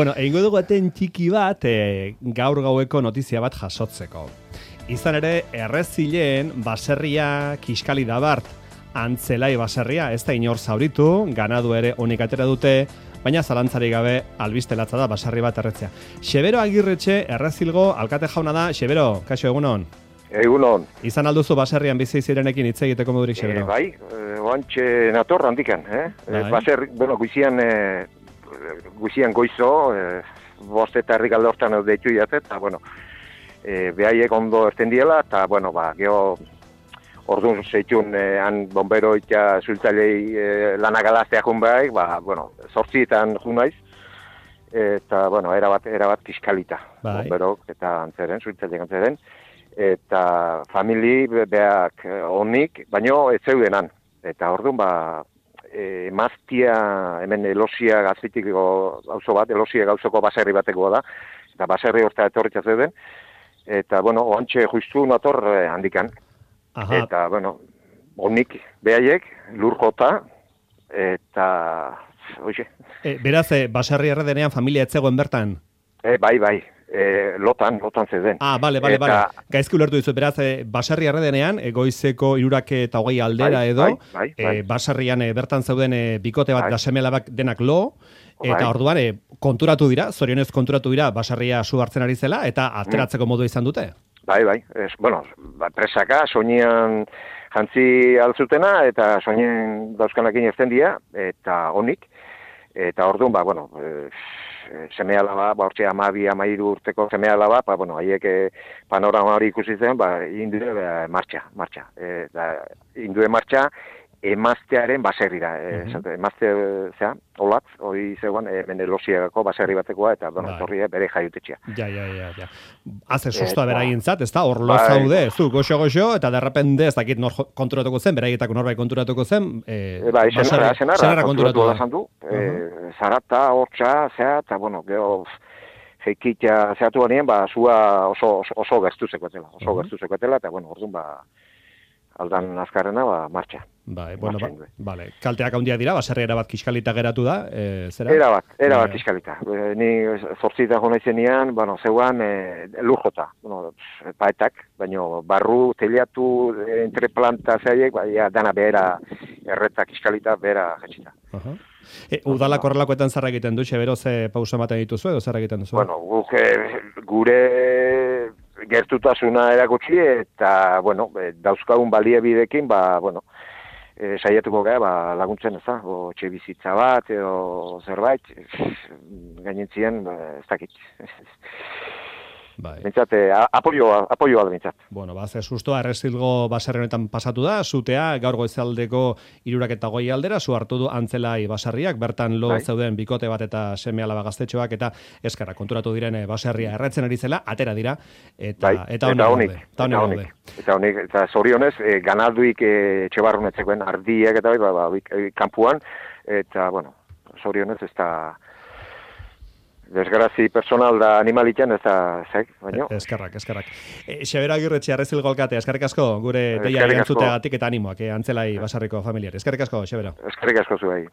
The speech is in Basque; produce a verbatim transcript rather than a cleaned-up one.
Bueno, egingo dugu eten txiki bat e, gaur gaueko notizia bat jasotzeko. Izan ere, errezileen baserria kiskali da bart, antzelai baserria, ez da inor zauritu, ganadu ere honik atera dute, baina zalantzari gabe albiste latza da baserri bat erretzea. Xebero Agirretxe errezilgo alkate jauna da. Xebero, kaixo, egunon? Egunon. Izan alduzu baserrian bizi zirenekin hitz egiteko modurik, Xebero? E, bai, oantxe nator handikan, eh? Bai. Baserri, bueno, guizian, e, guizian goizo, e, bost eta herrik alde hortan deitu jate, eta, bueno, e, behaiek ondo erten diela, eta, bueno, ba, geho, orduan zeitun, e, han bombero eta zultzailei e, lanagalaztea jun behar, ba, bueno, zortzietan jun naiz, eta, bueno, erabat, erabat kiskalita, bai. Bomberok eta antzeren, zultzaileak antzeren, eta famili beak onik, baino ez zeudenan. Eta orduan, ba, e, maztia, hemen elosia gazitiko gauzo bat, elosia gauzoko baserri bateko da, eta baserri horta etorritza zeuden, eta, bueno, oantxe justu nator handikan. Aha. Eta, bueno, onik behaiek, lur jota, eta, oixe. E, beraz, e, baserri erredenean familia etzegoen bertan? E, bai, bai. E, lotan, lotan zeuden. Ah, bale, bale, bale. Gaizki ulertu dizu, beraz, e, baserri erredenean, e, goizeko irurak eta hogei aldera bai, edo, bai, bai, bai. E, baserrian e, bertan zeuden e, bikote bat bai. Da semelabak denak lo, eta bai. Orduan e, konturatu dira, zorionez konturatu dira, baserria su hartzen ari zela, eta ateratzeko modu izan dute. Bai, bai. Es, bueno, ba, presaka, soinean jantzi altzutena, eta soinen dauzkanakin ezten dira, eta honik, eta orduan, ba, bueno, e, seme alaba, ba, hortxe amabi, amairu urteko seme alaba, ba, bueno, haiek panorama hori ikusi zen, ba, indue ba, martxa, martxa. E, da, indue martxa, emaztearen baserrira. E, uh-huh. Emazte, zera, olatz, hori zegoen, e, menelosiagako baserri batekoa, eta, bueno, torri bere jaiutetxea. Ja, ja, ja, ja. Haze sustoa beraintzat, ez da, hor lo zaude, ez du, goxo-goxo, eta derrepende, ez dakit nor konturatuko zen, beraietako norbait konturatuko zen, e, e, bai, baserri, senara, senara konturatu da. Du, e, uh-huh. Zarata, hortxa, zera, eta, bueno, geho, jeikitza zehatu banien, ba, zua oso, oso, oso gertu zekoetela, oso uh-huh. gertu zekoetela, eta, bueno, orduan, ba, aldan azkarrena, ba, martxa. Bai, bueno, ba, vale. Kalteak handia dira, baserri erabat kiskalita geratu da, e, zera? Erabat, erabat kiskalita. E, ni zortzita jona izenean, bueno, zeuan e, lujota, bueno, paetak, baino barru, teliatu, entre planta zeiek, ba, ja, dana behera, erreta kiskalita, behera jetxita. Uh-huh. E, udalak horrelakoetan zarra egiten du, Xebero, ze pausa ematen dituzu, edo zarra egiten duzu? Bueno, guk, gure gertutasuna erakutsi, eta, bueno, dauzkagun baliabidekin, ba, bueno, e, saiatuko gara, ba, laguntzen ez da, o txe bizitza bat, edo zerbait, gainentzien, ez dakit. Bai. Bintzat, apoioa, apoioa da bintzat. Bueno, ba, ze sustoa errezilgo baserri honetan pasatu da, zutea, gaur goizaldeko irurak eta goi aldera, zu hartu du antzelai baserriak, bertan lo bai. Zeuden bikote bat eta seme alaba gaztetxoak, eta eskarra konturatu diren baserria erretzen ari zela, atera dira, eta, bai. eta honik. Eta honik. Eta honik, eta zorionez, e, ganalduik e, etxebarrunetzekoen ardiak eta bai, ba, ba, e, kampuan, eta, bueno, zorionez ez da... Desgrazi personal da animalitzen ez da, zek, baino. Eskerrak, eskerrak. E, Xebero Agirretxe, errezilgo alkate, eskerrik asko, gure deia erantzuteagatik eta animoak, eh, antzelai basarriko familiari. Eskerrik asko, Xebero. Eskerrik asko zuei.